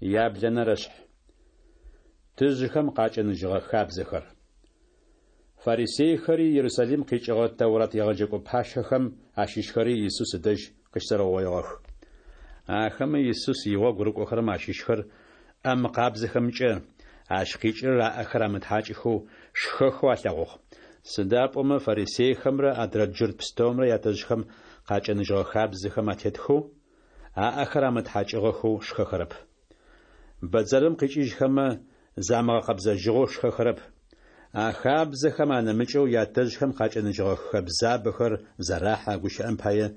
Яблэнэрэшъхь. Тыжъыхэм къакӏэныжьыгъэ хабзэхэр. Фарисейхэри Ерусалим къикӏыгъэ Тэурат егъэджэкӏо пащэхэм ащыщхэри Исус ыдэжь къыщызэрэугъоигъэх. Ахэмэ Исус игъогу рыкӏохэрэм ащыщхэр ӏэ мыкъабзэхэмкӏэ, ащ къикӏырэр аӏэхэр амытхьакӏыхэу, шхэхэу алъэгъугъ. Сыда пӏомэ фарисейхэмрэ адрэ джурт пстэумрэ ятэжъхэм къакӏэныжьыгъэ хабзэхэм атетхэу, аӏэхэр амытхьакӏыгъэхэу шхэхэрэп. Бэдзэрым къикӏыжьхэмэ, замыгъэкъэбзэжьыгъэу шхэхэрэп. А хабзэхэм анэмыкӏэу ятэжъхэм къакӏэныжьыгъэ хэбзабэхэр зэрахьэ, гущыӏэм пае,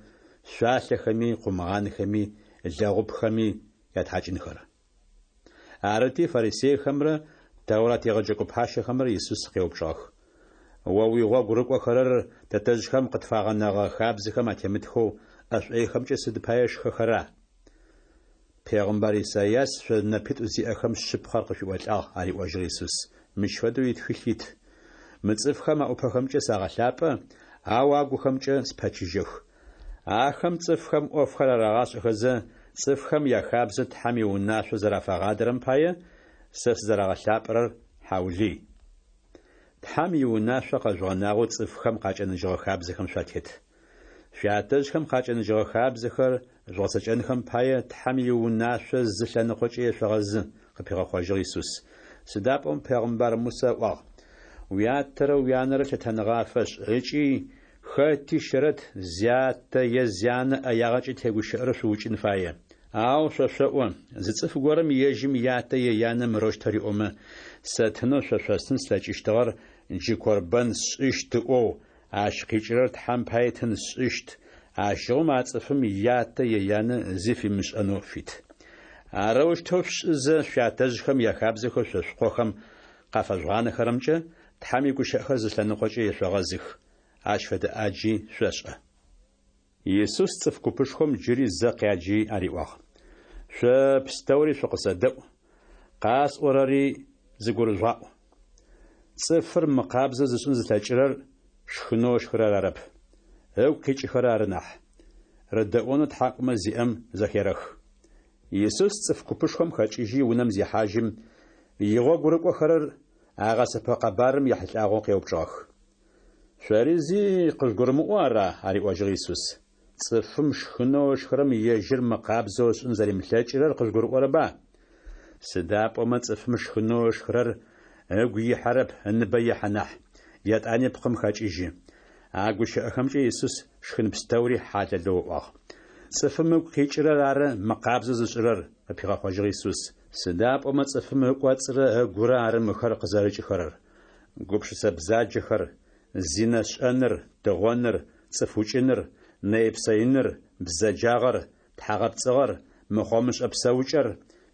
шъуалъэхэми, къумгъанхэми, лэгъупхэми ятхьакӏынхэр. Арыти, фарисейхэмрэ Тэурат егъэджэкӏо пащэхэмрэ Исус къеупчӏыгъэх: О уигъогу рыкӏохэрэр тэтэжъхэм къытфагъэнэгъэ хабзэхэм атемытхэу ӏэ шӏойхэмкӏэ сыд пае шхэхэра? Пегъымбар Исайас шъо нэпитӏу зиӏэхэм шъыпкъэр къышъуиӏолӏагъ, ариӏожьыгъ Исус. Мыщ фэдэу итхылъ ит: Мы цӏыфхэм аӏупэхэмкӏэ сагъэлъапӏэ, ау агухэмкӏэ спэчыжьэх. Ахэм цӏыфхэм ӏофхэр арагъашӏэхэзэ, цӏыфхэм яхабзэ Тхьэм иунашъо зэрафагъадэрэм пае, сэ сызэрагъэлъапӏэрэр хьаулый. Тхьэм иунашъо къэжъугъэнагъэу цӏыфхэм къакӏэныжьыгъэ хабзэхэм шъуатет. Шъуятэжъхэм къакӏэныжьыгъэ хабзэхэр жъугъэцэкӏэнхэм пае Тхьэм иунашъо зы лъэныкъокӏэ ешъогъэзы, къыпигъэхъожьыгъ Исус. Сыда пӏомэ пегъымбар Мусэ ыӏуагъ: Уятэрэ уянэрэ лъытэныгъэ афэшӏ, ыкӏи хэти щэрэт зятэ е зянэ ӏэягъэкӏэ тегущыӏэрэр шъуукӏын фае. Ау шъо шъоӏо, зы цӏыф горэм ежьым ятэ е янэ мырэущтэу риӏомэ, сэ тынэу шъо шъостын слъэкӏыщтыгъэр джы корбэн сшӏыщт ыӏоу, ащ къикӏырэр Тхьэм пае тын сшӏыщт, ащыгъум а цӏыфым ятэ е янэ зи фимышӏэнэу фит. Арэущтэу шъушӏызэ, шъуятэжъхэм яхабзэхэу шъо шъукъохэм къафэжъугъанэхэрэмкӏэ Тхьэм игущыӏэхэр зы лъэныкъокӏэ ешъогъэзых. Ащ фэдэ ӏаджи шъошӏэ. Исус цӏыф купышхом джыри зэ къяджи ариӏуагъ: Шъо пстэури шъукъысэдэӏу, къасӏорэри зыгурыжъугъаӏу. Цӏыфыр мыкъабзэ зышӏын зылъэкӏырэр шхынэу ышхырэр арэп, ыгу къикӏыхэрэр ары нахь. Рыдэӏонэу тхьакӏумэ зиӏэм зэхерэх. Исус цӏыф купышхом хэкӏыжьи унэм зехьажьым, игъогу рыкӏохэрэр а гъэсэпэ къэбарым ехьылӏагъэу къеупчӏыгъэх. Шъори зи къыжъугурымыӏоу ара? ариӏожьыгъ Исус. Цӏыфым шхынэу ышхырэм ежьыр мыкъабзэу ышӏын зэримылъэкӏырэр къыжъугурыӏорэба? Сыда пӏомэ цӏыфым шхынэу ышхырэр ыгу ихьэрэп, ыныбэ ехьэ нахь, етӏани пкъым хэкӏыжьы. А гущыӏэхэмкӏэ Исус шхын пстэури хьалэлэу ыӏуагъ. Цӏыфым ыгу къикӏырэр ары мыкъабзэ зышӏырэр, къыпигъэхъожьыгъ Исус. Сыда пӏомэ цӏыфым ыкӏоцӏрэ ыгурэ ары мыхэр къызэрыкӏыхэрэр: гупшысэ бзаджэхэр, зинэ шӏэныр, тыгъоныр, цӏыф укӏыныр, нэйпсэиныр, бзэджагъэр, тхьагъэпцӏыгъэр, мыхъомышӏэ псэукӏэр,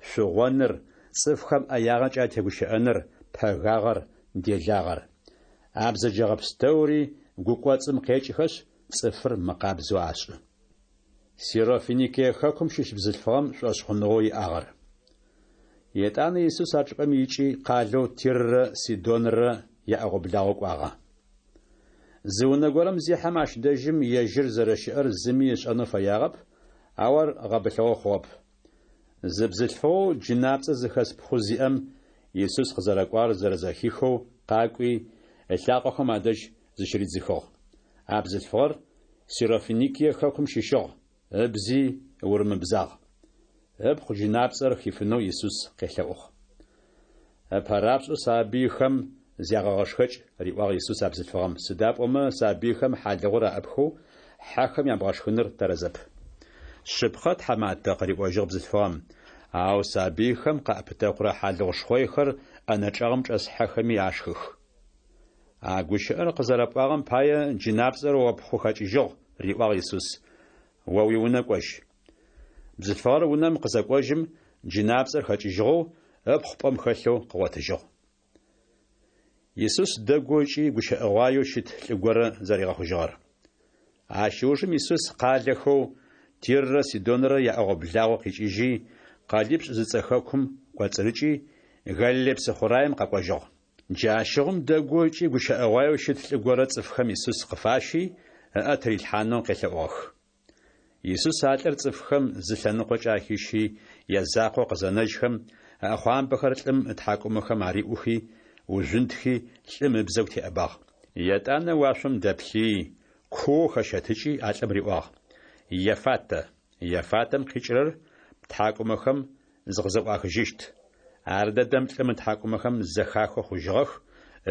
шъугъоныр, цӏыфхэм ӏэягъэкӏэ атегущыӏэныр, пэгагъэр, делагъэр. А бзэджэгъэ пстэури гу кӏоцӏым къекӏыхэшъ, цӏыфыр мыкъабзэу ашӏы. Сирофиникие хэкум щыщ бзылъфыгъэм шӏошъхъуныгъэу иӏагъэр. Етӏанэ Исус а чӏыпӏэм икӏи, къалэу Тиррэ Сидонрэ яӏэгъо-благъо кӏуагъэ. Зы унэ горэм зехьэм, ащ дэжьым ежьыр зэрэщыӏэр зыми ышӏэнэу фэягъэп, ау ар гъэбылъыгъэ хъугъэп. Зы бзылъфыгъэу джынапцӏэ зыхэс пхъу зиӏэм Исус къызэрэкӏуагъэр зэрэзэхихэу къакӏуи, ылъакъохэм адэжь зыщыридзыхыгъ. А бзылъфыгъэр Сирофиникие хэкум щыщыгъ, ыбзи урымыбзагъ. Ыпхъу джынапцӏэр хифынэу Исус къелъэӏугъ. Ыпэрапшӏэу сабыйхэм зягъэгъэшхэкӏ, риӏуагъ Исус а бзылъфыгъэм, сыда пӏомэ сабыйхэм хьалыгъур аӏыпхэу хьэхэм ябгъэшхыныр тэрэзэп. Шъыпкъэ, тхьаматэ, къыриӏожьыгъ бзылъфыгъэм, ау сабыйхэм къаӏэпытэкъурэ хьалыгъу шхъойхэр ӏэнэ чӏэгъым чӏэс хьэхэми ашхых. А гущыӏэр къызэрэпӏуагъэм пае джынапцӏэр о ппхъу хэкӏыжьыгъ, риӏуагъ Исус. О уиунэ кӏожь. Бзылъфыгъэр унэм къызэкӏожьым, джынапцӏэр хэкӏыжьыгъэу, ыпхъу пӏэм хэлъэу къыгъотыжьыгъ. Исус дэгоу ыкӏи гущыӏэгъуаеу щыт лӏы горэ зэригъэхъужьыгъэр. Ащ ыужым Исус къалэхэу Тиррэ Сидонрэ яӏэгъо-благъо къикӏыжьи, Къэлипшӏ зыцӏэ хэкум кӏоцӏырыкӏи, Галилей псыхъураем къэкӏожьыгъ. Джащыгъум дэгоу ыкӏи гущыӏэгъуаеу щыт лӏы горэ цӏыфхэм Исус къыфащи, ыӏэ тырилъхьанэу къелъэӏугъэх. Исус а лӏыр цӏыфхэм зы лъэныкъокӏэ ахищи, язакъоу къызэнэжьхэм, ыӏэхъуамбэхэр лӏым ытхьакӏумэхэм ариӏухи, ужъунтхи, лӏым ыбзэгу теӏэбагъ. Етӏанэ уашъом дэплъыий, куоу хэщэтыкӏи, а лӏым риӏуагъ, Еффатэ! Еффатэм къикӏырэр Птхьакӏумэхэм зыкъызэӏуахыжьыщт. Ардэдэм лӏым ытхьакӏумэхэм зэхахэу хъужьыгъэх,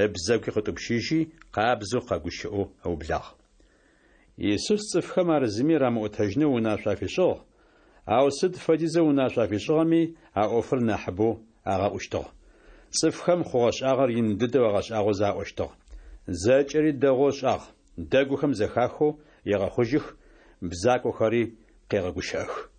ыбзэгуи къытӏупщыжьи, къабзэу къэгущыӏэу ыублагъ. Исус цӏыфхэм ар зыми рамыӏотэжьынэу унашъо афишӏыгъ, ау сыд фэдизэу унашъо афишӏыгъэми, а ӏофыр нахьыбэу агъэӏущтыгъ. Цӏыфхэм хъугъэшӏагъэр ин дэдэу агъэшӏагъозэ аӏощтыгъ. Зэкӏэри дэгъоу ышӏагъ, дэгухэм зэхахэу егъэхъужьых, бзакохэри къегъэгущыӏэх.